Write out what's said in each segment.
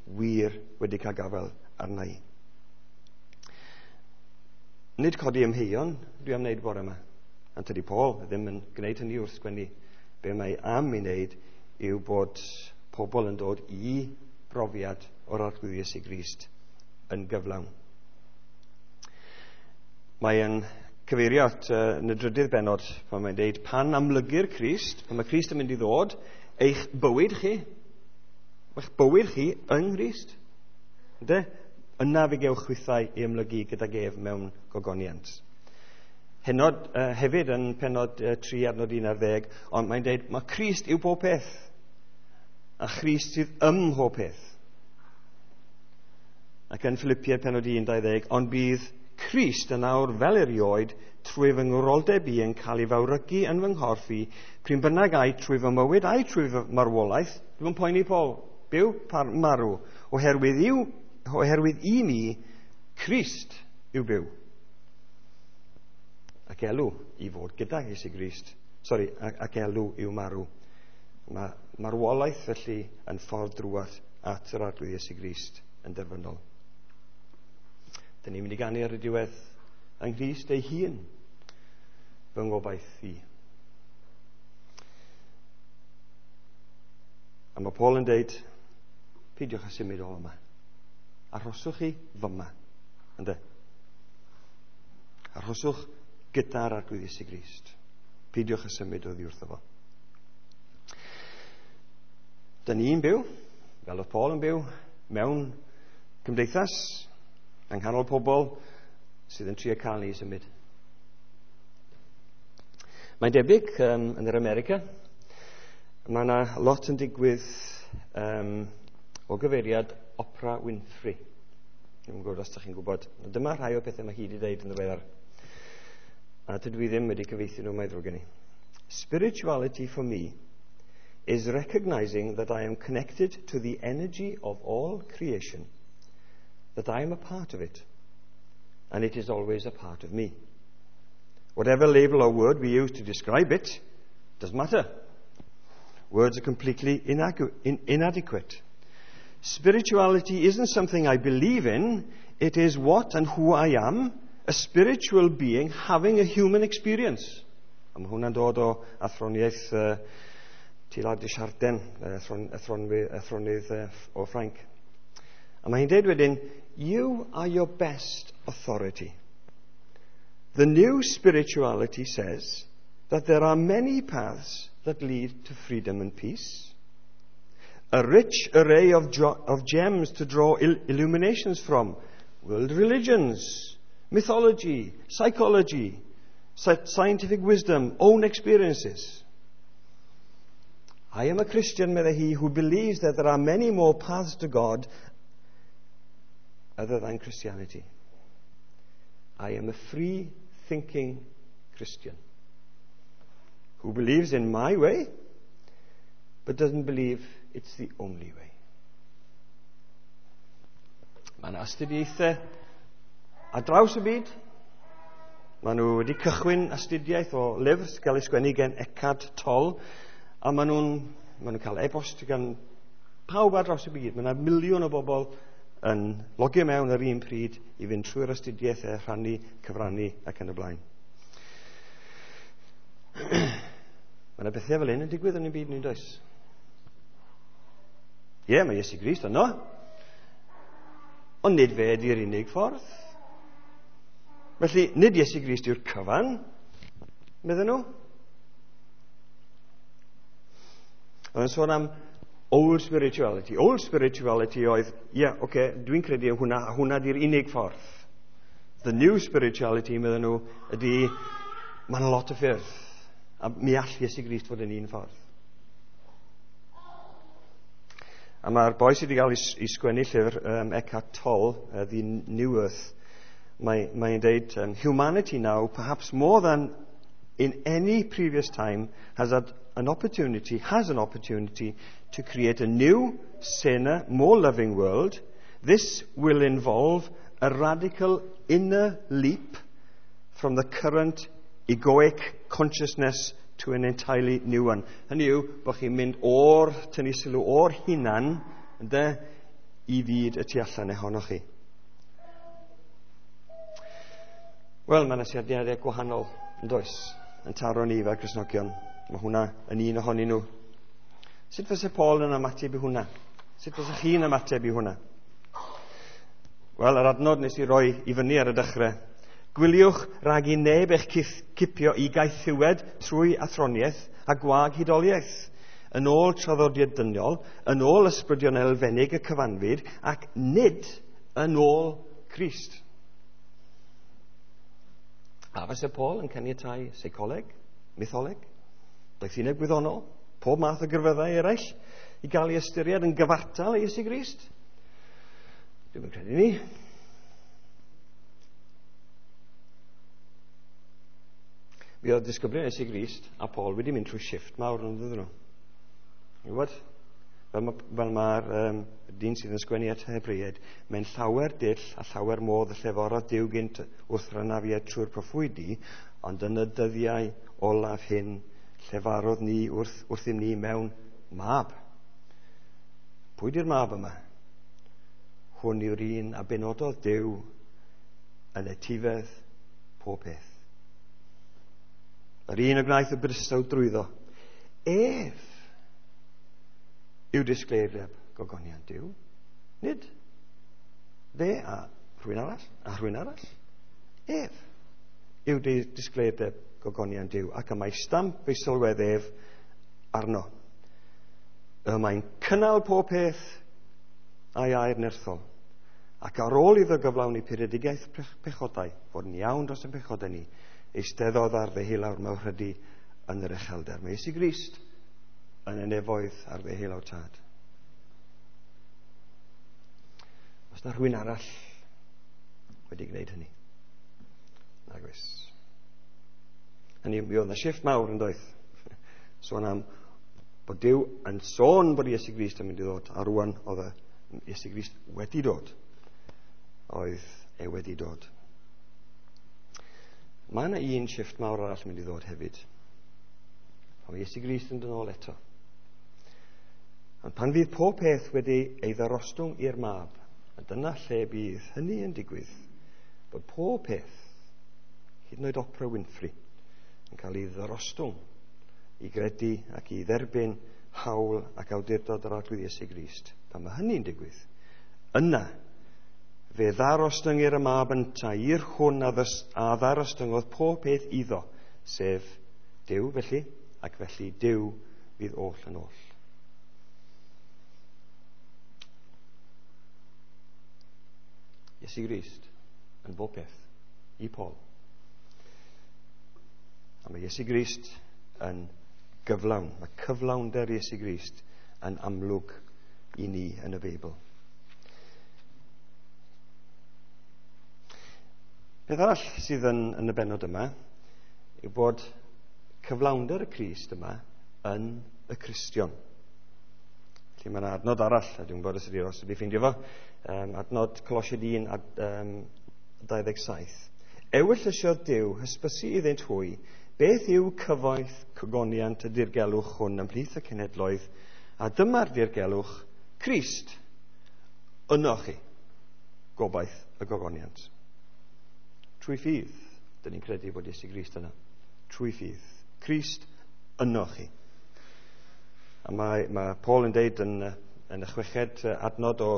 wir wedi cael gafael arna i. Nid codi ymheuon dwi am wneud bore yma. Ond tydi Paul ddim yn gwneud hynny wrth sgwennu. Be mae am ei wneud yw bod pobl yn dod i brofiad o'r Arglwydd Iesu Grist yn gyflawn. Mae yn cyfeirio at yn y drydydd bennod pan mae'n dweud pan amlygir Crist, pan mae Crist yn mynd i ddod, eich bywyd chi, eich bywyd chi yng Nghrist. Ynde? Yna fe gewch chwithau i amlygu gydag ef mewn gogoniant. Hynod hefyd yn pennod 3 adnod 11, ond mae'n dweud mae Crist yw pob peth, a Christ sydd ym mhob peth. Ac yn Philippiaid pennod 1, 20, ond bydd Crist yn awr fel erioed trwy fy ngwroldeb i yn cael ei fawrygu yn fy nghorff i, pryn bynnag ai trwy fy mywyd ai trwy fy marwolaeth, dwi'n poeni Paul, byw par marw, oherwydd i mi, Crist yw byw. Ac elw i fod gyda Iesu Grist. Sori, ac elw yw marw. Mae marwolaeth felly yn ffordd drwad at yr Arglwydd Iesu Grist yn derfynol. Dyn ni'n mynd i ganu ar y diwedd yng Nghrist ei hun, fy ngobaith i. A mae Paul yn deud, peidiwch â symud o yma. Arhoswch chi fyma. Ynde? Arhoswch gyda'r Arglwydd Iesu Grist. Peidiwch â symud oddi wrtho fo. Dyn ni'n byw, fel oedd Paul yn byw, mewn cymdeithas, yng nghanol pobl sydd yn trio cael ni i symud. Mae'n debyg yn yr America, mae yna lot yn digwydd o gyfeiriad Oprah Winfrey. Dwi'n gwybod os ydych chi'n gwybod. Dyma rhai o pethau mae hi wedi dweud yn ddiweddar. A dydw i ddim wedi cyfieithu nhw, mae ddrwg gen i. Spirituality for me is recognizing that I am connected to the energy of all creation, that I am a part of it, and it is always a part of me. Whatever label or word we use to describe it, doesn't matter. Words are completely inadequate. Spirituality isn't something I believe in, it is what and who I am, a spiritual being having a human experience. A mae hwnna'n dod o athroniaeth Teilhard de Chardin, athronydd o Ffrainc. A mae hi'n dweud wedyn, you are your best authority. The new spirituality says that there are many paths that lead to freedom and peace. A rich array of gems to draw illuminations from. World religions, mythology, psychology, scientific wisdom, own experiences. I am a Christian, meddai hi, who believes that there are many more paths to God other than Christianity. I am a free-thinking Christian who believes in my way, but doesn't believe it's the only way. Mae yna astudiaethau ar draws y byd. Maen nhw wedi cychwyn astudiaeth o lyfr sy'n cael ei sgwennu gen Eckhart Tolle, a maen nhw'n cael e-bost gan pawb ar draws y byd. Mae yna miliwn o bobl yn logio mewn yr un pryd i fynd trwy'r astudiaethau, rhannu, cyfrannu ac yn y blaen. Mae yna bethau fel hyn yn digwydd yn ein byd ni'n does? Ie, mae Iesu Grist yno. Ond nid fe ydy'r unig ffordd. Felly, nid Iesu Grist yw'r cyfan, medden nhw. Oedd yn sôn am old spirituality. Old spirituality oedd, ie, okay, dwi'n credu yn hwnna, a hwnna di'r unig ffordd. The new spirituality, medden nhw, ydy, mae'n lot o ffyrdd. A mi all Iesu Grist fod yn un ffordd. A mae'r boi sydd wedi cael ei sgwennu llyfr Eckhart Tolle, The New Earth, mae'n deud, humanity now, perhaps more than in any previous time, has an opportunity to create a new, saner, more loving world. This will involve a radical inner leap from the current egoic consciousness to an entirely new one. Hynny yw, bod chi'n mynd o'r, tynnu sylw o'r hunan, ynde, i fyd y tu allan ohonoch chi. Wel, mae yna syniadau gwahanol, yn does, yn taro ni fel Cristnogion. Mae hwnna yn un ohonyn nhw. Sut fysa Paul yn ymateb i hwnna? Sut fysa chi'n ymateb i hwnna? Wel, yr adnod nes i roi i fyny ar y dechrau. Gwyliwch rhag i neb eich cipio i gaethiwed trwy athroniaeth a gwag hudoliaeth, yn ôl traddodiad dyniol, yn ôl ysbrydion elfennig y cyfanfyd, ac nid yn ôl Crist. A fysa Paul yn caniatáu seicoleg, mytholeg, doethineb gwyddonol, pob math o grefyddau eraill i gael ei ystyried yn gyfartal i Iesu Grist? Dwi'm yn credu ni. Mi oedd disgyblion Iesu Grist a Paul wedi mynd trwy shifft mawr yn ddydyn nhw. Ti'n gwybod? Fel mae'r dyn sydd yn sgwennu at Hebreaid, mae'n llawer dull a llawer modd y lleforodd Duw gynt wrth rynafiad trwy'r proffwydi, ond yn y dyddiau olaf hyn llefarodd ni wrthym ni mewn mab. Pwy di'r mab yma? Hwn yw'r un a benododd Duw yn etifedd pob peth. Yr un y gwnaeth y bydysawd drwyddo. Ef yw disgleirdeb gogoniant Duw. Nid fe a rhywun arall, a rhywun arall. Ef yw disgleirdeb gogoniant Duw, ac y mae stamp ei sylwedd ef arno. Y mae'n cynnal pob peth a'i air nerthol, ac ar ôl iddo gyflawni puredigaeth pechodau, fod yn iawn dros y pechodau ni, eisteddodd ar ddeheulawr mawrhydi yn yr uchelder. Mae Iesu Grist yn y nefoedd ar ddeheulaw Tad. Os na rhywun arall wedi gwneud hynny? Nag oes. Hynny, mi oedd yna shifft mawr yn doedd. Sôn am bod Duw yn sôn bod Iesu Grist yn mynd i ddod, a rwan oedd Iesu Grist wedi dod. Oedd e wedi dod. Mae yna un shifft mawr arall yn mynd i ddod hefyd. Pan mae Iesu Grist yn dod nôl eto. Ond pan fydd pob peth wedi ei ddarostwng i'r mab, a dyna lle bydd hynny yn digwydd, bod pob peth, hyd yn oed Oprah Winfrey, yn cael ei ddarostwng i gredu ac i dderbyn hawl ac awdurdod yr Arglwydd Iesu Grist. Pan mae hynny'n digwydd, yna fe ddarostyngir y mab yntau i'r hwn a ddarostyngodd pob peth iddo, sef Duw felly, ac felly Duw fydd oll yn oll. Iesu Grist yn bob peth i Paul. A mae Iesu Grist yn gyflawn. Mae cyflawnder Iesu Grist yn amlwg i ni yn y Beibl. Peth arall sydd yn y bennod yma yw bod cyflawnder y Crist yma yn y Cristion. Felly mae yna adnod arall, a dwi'n gwybod os ydy Ros wedi ffeindio fo, adnod Colosiaid 1 27. Ewyllysiodd Duw hysbysu iddynt hwy beth yw cyfoeth cogoniant y dirgelwch hwn ymhlith y cenhedloedd, a dyma'r dirgelwch Crist ynoch chi, gobaith y gogoniant. Trwy ffydd, dyn ni'n credu bod Iesu Grist yna. Trwy ffydd. Crist ynoch chi. A mae Paul yn deud yn y chweched adnod o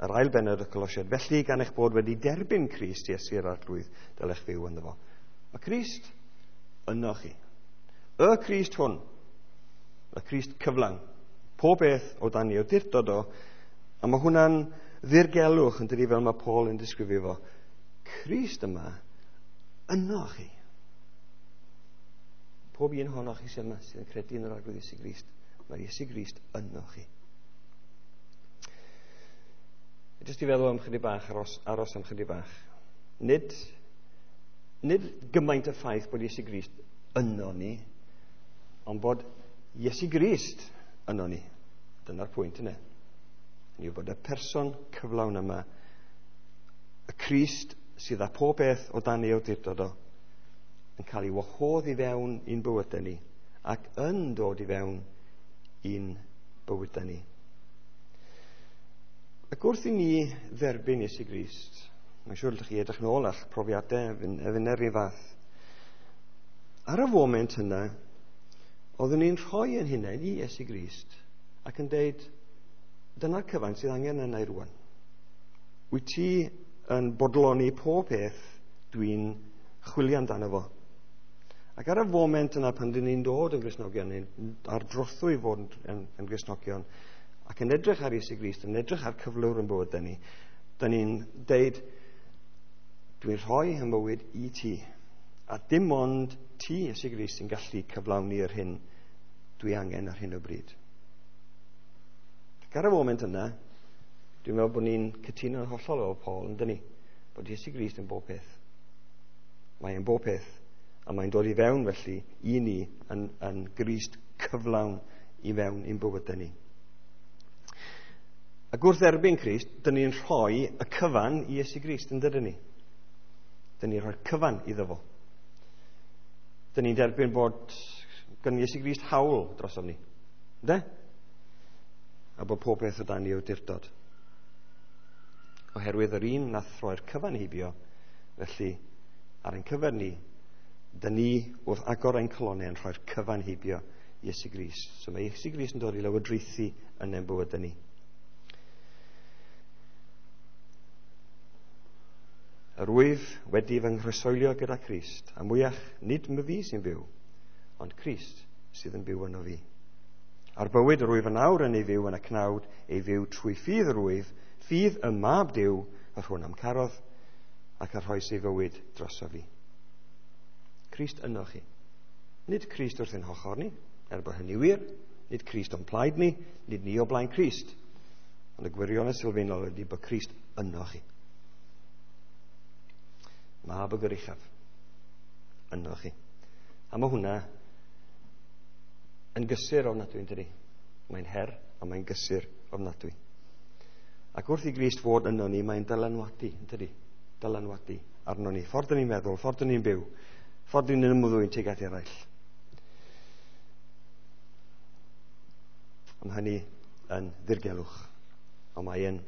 yr ail bennod y Colosiaid, felly gan eich bod wedi derbyn Crist Iesu yr Arglwydd, dylech fyw ynddo fo. Mae Crist ynoch chi. Y Crist hwn, y Crist cyflawn, pob beth o dan ei awdurdod o, a mae hwnna'n ddirgelwch yn dydi fel mae Paul yn disgrifio fo. Crist yma ynoch chi. Pob un ohonoch chi sydd yma sydd yn credu yn yr Arglwydd Iesu Grist, mae Iesu Grist ynoch chi. Jyst i feddwl am chydig bach, aros am chydig bach. Nid gymaint y ffaith bod Iesu Grist yno ni, ond bod Iesu Grist yno ni. Dyna'r pwynt yna. Ni yw bod y person cyflawn yma, y Crist sydd â pob beth o dan ei awdurdod o, yn cael ei wahodd i fewn i'n bywydau ni, ac yn dod i fewn i'n bywydau ni. Ac wrth i ni dderbyn Iesu Grist, mae'n siŵr ydych chi edrych nôl a'ch profiadau a finne rhyw fath. Ar y foment yna, oeddwn ni'n rhoi yn hunain i Iesu Grist ac yn deud, dyna'r cyfan sydd angen yna i rwan. Wyt ti yn bodloni pob peth dwi'n chwilio amdano fo. Ac ar y foment yna pan dyn ni'n dod yn Gristnogion, neu ar drothwy fod yn Gristnogion, ac yn edrych ar Iesu Grist, yn edrych ar cyflwr yn bywyd ni, dyn ni'n deud, dwi'n rhoi fy mywyd i ti. A dim ond ti, Iesu Grist, sy'n gallu cyflawni yr hyn dwi angen ar hyn o bryd. Ac ar y foment yna, dwi'n meddwl bod ni'n cytuno'n hollol efo Paul, yn dyn ni, bod Iesu Grist yn bob peth. Mae e'n bob peth, a mae'n dod i fewn felly i ni yn Grist cyflawn i fewn i'n bywydau ni. Ac wrth erbyn Crist, dyn ni'n rhoi y cyfan i Iesu Grist, yn dydyn ni? Dyn ni'n rhoi'r cyfan iddo fo. Dyn ni'n derbyn bod gan Iesu Grist hawl drosom ni. Ynde? A bod pob peth o dan ei awdurdod. Oherwydd yr un nath roi'r cyfan heibio, felly ar ein cyfer ni, dyn ni wrth agor ein calonnau yn rhoi'r cyfan heibio Iesu Grist. So mae Iesu Grist yn dod i lywodraethu yn ein bywydau ni. Yr wyf wedi fy nghroeshoelio gyda Christ, a mwyach nid my fi sy'n byw, ond Crist sydd yn byw yno fi. A'r bywyd yr wyf yn awr yn ei fyw yn y cnawd, ei fyw trwy ffydd yr wyf, ffydd y mab Duw, yr hwn am carodd, ac a rhoes ei fywyd droso fi. Crist yno chi. Nid Crist wrth ein hochr ni, er bod hynny wir, nid Crist o'n plaid ni, nid ni o blaen Crist. Ond y gwirionedd sylfaenol ydy bod Crist yno chi. Mab y Goruchaf yno chi. A mae hwnna yn gysur ofnadwy, yn dydi? Mae'n her, ond mae'n gysur ofnadwy. Ac wrth i Grist fod yno ni, mae'n dylanwadu, yn dydi? Dylanwadu arno ni. Ffordd dyn ni'n meddwl, ffordd dyn ni'n byw, ffordd dyn ni'n ymddwyn tuag at eraill. Ond hynny yn ddirgelwch, ond mae yn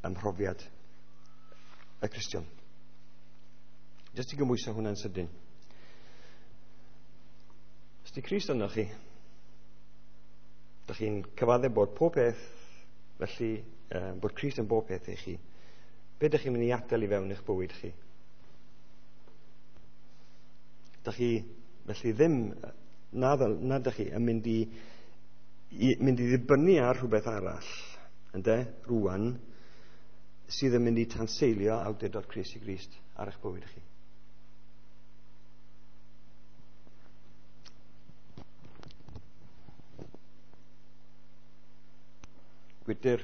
ymhrofiad y Cristion. Jyst i gymhwyso hwnna'n sydyn. Os di Crist yno chi, dych chi'n cyfadde bod pob peth, felly bod Crist yn bob peth i chi, be dych chi'n mynd i adael i fewn eich bywyd chi? Dych chi felly ddim, na dych chi yn mynd i ddibynnu ar rhywbeth arall, ynde, rwan, sydd yn mynd i tanseilio awdurdod Crist i Grist ar eich bywyd chi. Gwydr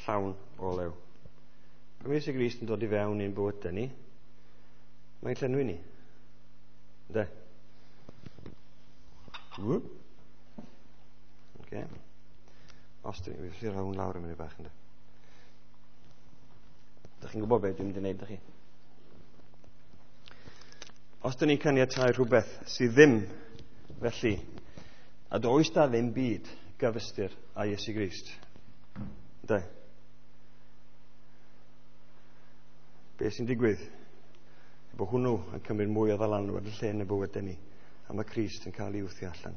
llawn o olew. Pan mae Iesu Grist yn dod i fewn i'n bywydau ni, mae'n llenwi ni. Ynde? Okay. Os dyn ni, felly rhawn lawr yn mynd bach, ynde? Dych chi'n gwybod beth dwi'n mynd i wneud, dych chi? Os dyn ni'n caniatáu rhywbeth sydd ddim felly, a does da ddim byd gyfystyr â Iesu Grist. Ynde? Be sy'n digwydd? Bod hwnnw yn cymryd mwy o ddylanwad y lle yn y bywydau ni, a mae Crist yn cael ei wthio allan.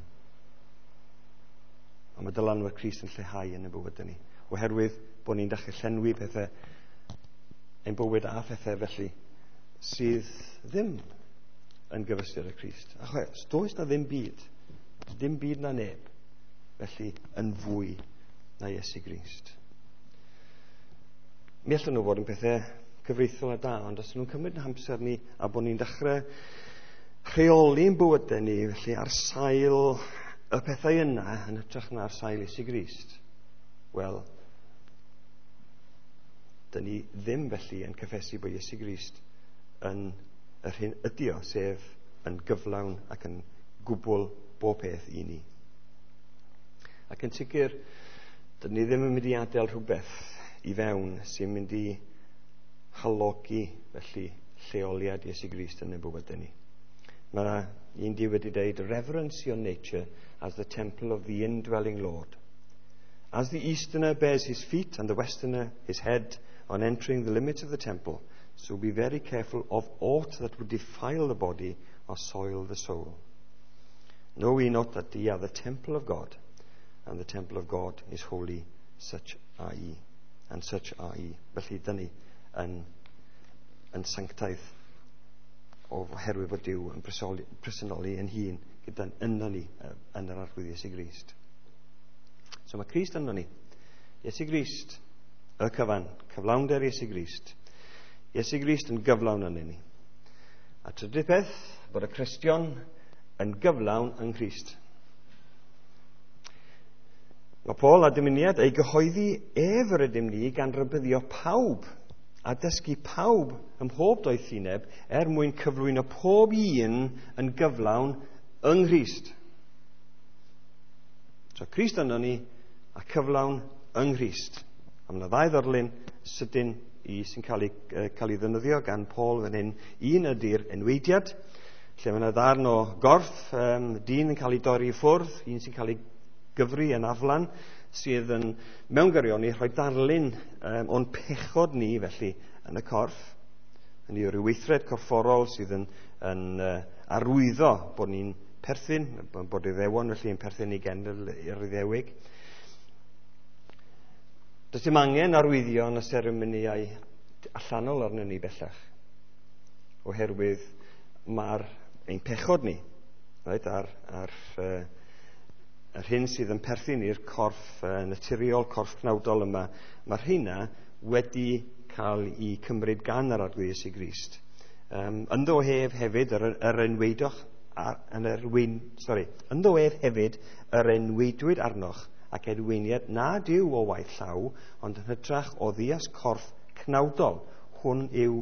A mae dylanwad Crist yn lleihau yn y bywydau ni, oherwydd bod ni'n dechrau llenwi pethau ein bywyd a phethau felly sydd ddim yn gyfystyr â Crist. Achos does na ddim byd, dim byd na neb, felly yn fwy na Iesu Grist. Mi allan nhw fod yn pethau cyfreithiol a da, ond os nhw'n cymryd yn hamser ni a bod ni'n dechrau rheoli'n bywydau ni, felly ar sail y pethau yna yn hytrach na ar sail Iesu Grist, wel, dyn ni ddim felly yn cyffesu bod Iesu Grist yn yr hyn ydi o, sef yn gyflawn ac yn gwbl bob peth i ni. Ac yn sicr, dyn ni ddim yn mynd i adael rhywbeth i fewn sy'n mynd i halogi felly lleoliad Iesu Grist yn ein bywydau ni. Mae yna un di wedi dweud, reverence your nature as the temple of the indwelling Lord. As the easterner bears his feet and the westerner his head on entering the limits of the temple, so be very careful of aught that would defile the body or soil the soul. Know ye not that ye are the temple of God, and the temple of God is holy, such are ye. And such are ye. Felly, dyn ni yn sanctaidd oherwydd bod Duw yn presennoli yn hun gyda'n yno ni yn yr Arglwydd Iesu Grist. So mae Crist yno ni. Iesu Grist, y cyfan, cyflawnder Iesu Grist. Iesu Grist yn gyflawn yno ni. A trydydd peth, bod y Cristion yn gyflawn yng Nghrist. Mae Paul a dymuniad ei gyhoeddi ef yr ydym ni gan rybuddio pawb a dysgu pawb ym mhob doethineb er mwyn cyflwyno pob un yn gyflawn yng Nghrist. So Crist yno ni a cyflawn yng Nghrist. A mae yna ddau ddarlun sydyn i sy'n cael ei ddefnyddio gan Paul fan hyn. Un ydy'r enweidiad, lle mae yna ddarn o gorff, dyn yn cael ei dorri i ffwrdd, un sy'n cael ei gyfri yn aflan, sydd yn mewn gyrion ni rhoi darlun o'n pechod ni felly yn y corff. Hynny yw rhyw weithred corfforol sydd yn arwyddo bod ni'n perthyn, bod Iddewon felly yn perthyn i genedl i'r Iddewig. Does dim angen arwyddion y seremonïau allanol arnyn ni bellach, oherwydd mae'r ein pechod ni, right, ar yr hyn sydd yn perthyn i'r corff naturiol, corff cnawdol yma, mae'r rheina wedi cael eu cymryd gan yr Arglwydd Iesu Grist. Ynddo ef hefyd yr enweidoch ar, yn yr wyn, sorry, ynddo ef hefyd yr enweidwyd arnoch ac enweiniad nad yw o waith llaw, ond yn hytrach o ddias corff cnawdol. Hwn yw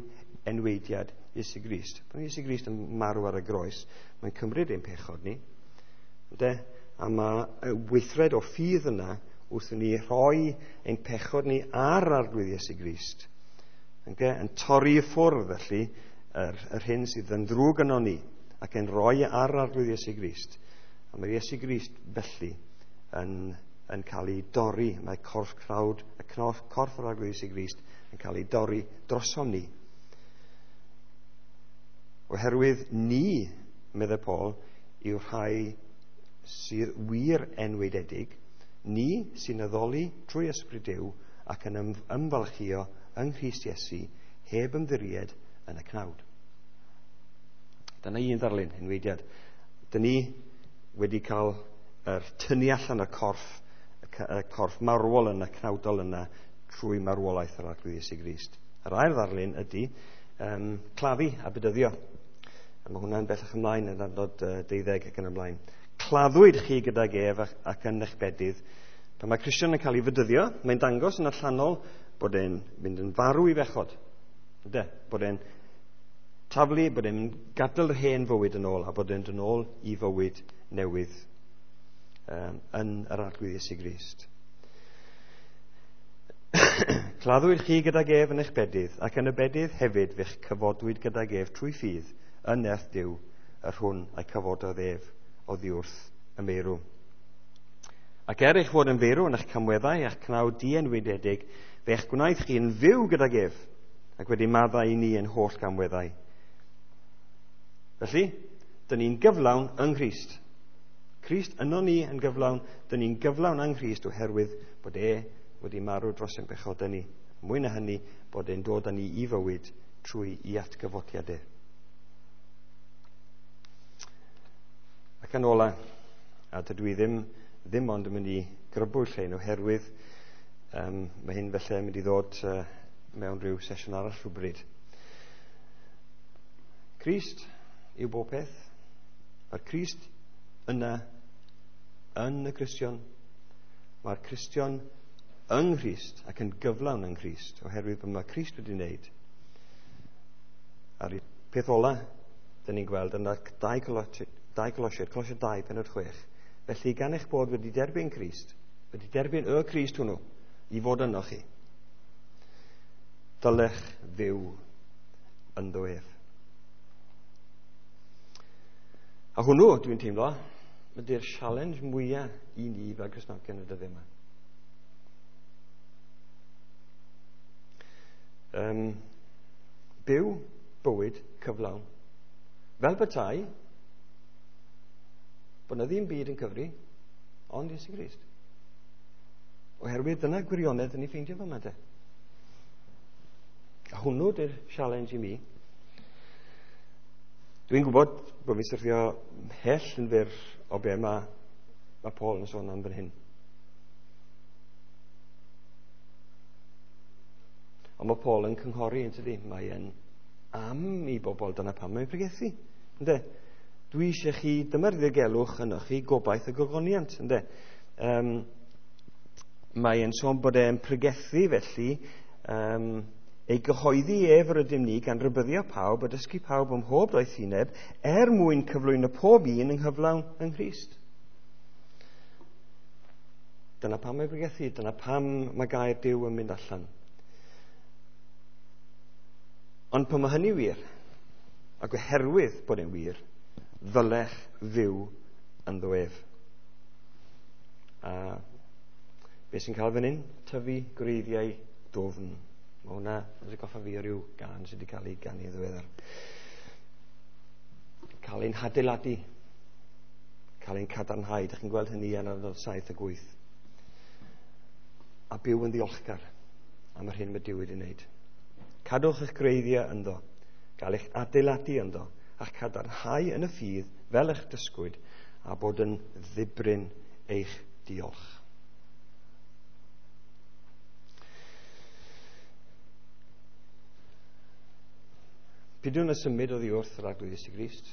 enweidiad Iesu Grist. Pan Iesu Grist yn marw ar y groes, mae'n cymryd ein pechod ni. Ynde? A mae y weithred o ffydd yna wrth i ni rhoi ein pechod ni ar Arglwydd Iesu Grist. Ynde? Yn torri i ffwrdd felly yr hyn sydd yn ddrwg yno ni ac yn rhoi ar Arglwydd Iesu Grist. A mae Iesu Grist felly yn cael ei dorri. Mae corff cnawd, y corff yr Arglwydd Iesu Grist yn cael ei dorri drosom ni. Oherwydd ni, meddai Paul, yw rhai sydd wir enweidedig, ni sy'n addoli trwy Ysbryd Duw ac yn ymfalchio yng Nghrist Iesu heb ymddiried yn y cnawd. Dyna un ddarlun, enweidiad. Dyn ni wedi cael yr tynnu allan y corff, y corff marwol yna, cnawdol yna, trwy marwolaeth yr Arglwydd Iesu Grist. Yr ail ddarlun ydy claddu a bedyddio. A mae hwnna'n bellach ymlaen yn adnod 12 ac yn ymlaen. Claddwyd chi gydag ef ac yn eich bedydd. Pan mae Cristion yn cael ei fedyddio, mae'n dangos yn allanol bod e'n mynd yn farw i bechod. Ynde? Bod e'n taflu, bod e'n gadael yr hen fywyd yn ôl a bod e'n dod yn ôl i fywyd newydd yn yr Arglwydd Iesu Grist. Claddwyd chi gydag ef yn eich bedydd, ac yn y bedydd hefyd fe'ch cyfodwyd gydag ef trwy ffydd yn nerth Duw, yr hwn a'i cyfododd ef oddi wrth y meirw. Ac er eich fod yn feirw yn eich camweddau a'ch cnawd dienwydedig, fe'ch gwnaeth chi yn fyw gydag ef, ac wedi maddau i ni yn holl gamweddau. Felly, dyn ni'n gyflawn yng Nghrist. Crist yno ni yn gyflawn, dyn ni'n gyflawn yng Nghrist oherwydd bod e wedi marw dros ein pechodau ni. Mwy na hynny, bod e'n dod â ni i fywyd trwy i atgyfodiad e. Ac yn ola, a dydw i ddim ond yn mynd i grybwyll hyn oherwydd mae hyn felly yn mynd i ddod mewn rhyw sesiwn arall rhywbryd. Crist yw bob peth. Mae'r Crist yna yn y Cristion. Mae'r Cristion yng Nghrist ac yn gyflawn yng Nghrist oherwydd bod mae Crist wedi wneud. A'r peth ola, dyn ni'n gweld yn 2 Colosiaid, Colosiaid 2, pennod 6. Felly, gan eich bod wedi derbyn Crist, wedi derbyn y Crist hwnnw i fod yno chi, dylech fyw ynddo ef. A hwnnw, dwi'n teimlo, ydy'r challenge mwyaf i ni fel Cristnogion y dyddiau yma. Byw bywyd cyflawn. Fel petai, bod 'na ddim byd yn cyfri, ond Iesu Grist. Oherwydd dyna gwirionedd yn ei ffeindio fyma de. A hwnnw di'r challenge i mi. Dwi'n gwybod bod fi'n syrthio mhell yn fyr o be mae Paul yn sôn am fan hyn. Ond mae Paul yn cynghori, yn tydi? Mae e'n am i bobl, dyna pam mae'n pregethu. Ynde? Dwi eisiau chi, dyma'r ddirgelwch yno chi, gobaith y gogoniant. Ynde? Mae e'n sôn bod e'n pregethu felly, ei gyhoeddi ef yr ydym ni gan rybuddio pawb a dysgu pawb ym mhob doethineb er mwyn cyflwyno pob un yng nghyflawn yng Nghrist. Dyna pam mae pregethu, dyna pam mae gair Duw yn mynd allan. Ond pan mae hynny wir, ac oherwydd bod e'n wir, ddylech fyw ynddo ef. A beth sy'n cael fan hyn? Tyfu gwreiddiau dwfn. Mae hwnna yn atgoffa fi o ryw gân sydd wedi cael ei ganu yn ddiweddar. Cael ein hadeiladu, cael ein cadarnhau. Dych chi'n gweld hynny yn adnod 7 ac 8. A byw yn ddiolchgar am yr hyn mae Duw wedi wneud. Cadwch eich gwreiddiau ynddo, gael eich adeiladu ynddo, a'ch cadarnhau yn y ffydd fel eich dysgwyd, a bod yn ddibrin eich diolch. Peidiwn â symud oddi wrth yr Arglwydd Iesu Grist.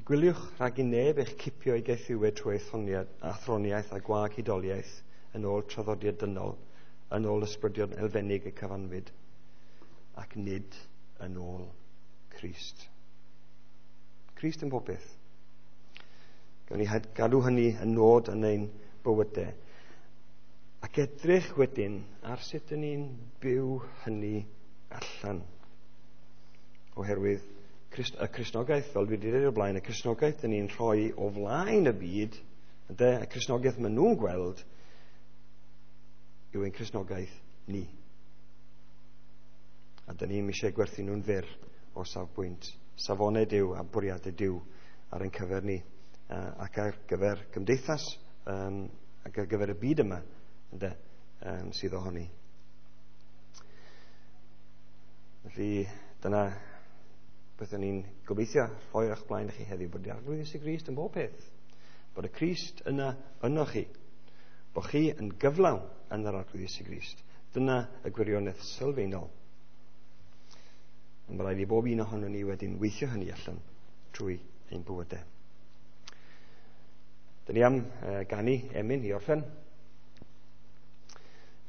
Gwyliwch rhag i neb eich cipio i gaethiwed trwy athroniaeth a gwag hudoliaeth yn ôl traddodiad dynol, yn ôl ysbrydion elfennig y cyfanfyd, ac nid yn ôl Crist. Crist yn popeth. Gawn ni gadw hynny yn nod yn ein bywydau. Ac edrych wedyn ar sut ydyn ni'n byw hynny allan. Oherwydd y Cristnogaeth, fel dwi wedi dweud o'r blaen, y Cristnogaeth dyn ni'n rhoi o flaen y byd, ynde, y Cristnogaeth maen nhw'n gweld, yw ein Cristnogaeth ni. A dyn ni'n eisiau gwerthu nhw'n fyr o safbwynt safonau Duw a bwriadau Duw ar ein cyfer ni, ac ar gyfer gymdeithas, ac ar gyfer y byd yma, ynde, sydd ohoni. Felly, dyna beth o'n i'n gobeithio rhoi o'ch blaen i chi heddiw, bod yr Arglwydd Iesu Grist yn bob peth, bod y Crist yna yno chi, bod chi yn gyflawn yn yr Arglwydd Iesu Grist. Dyna y gwirionedd sylfaenol. Ond mae rhaid i bob un ohonon ni wedyn weithio hynny allan trwy ein bywydau. Dyn ni am ganu emyn i orffen.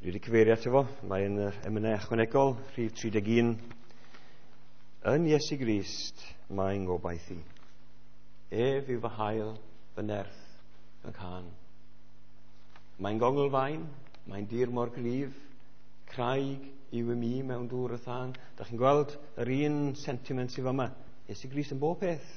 Dwi wedi cyfeirio ato fo, mae yn yr emynau ychwanegol, rhif 31. Yn Iesu Grist mae'n ngobaith i. Ef yw fy hael, fy nerth, fy nghân. Mae'n gonglfaen, mae'n dir mor gryf, craig yw i mi mewn dŵr y thân. Dach chi'n gweld yr un sentiment sydd yma. Iesu Grist yn bob peth.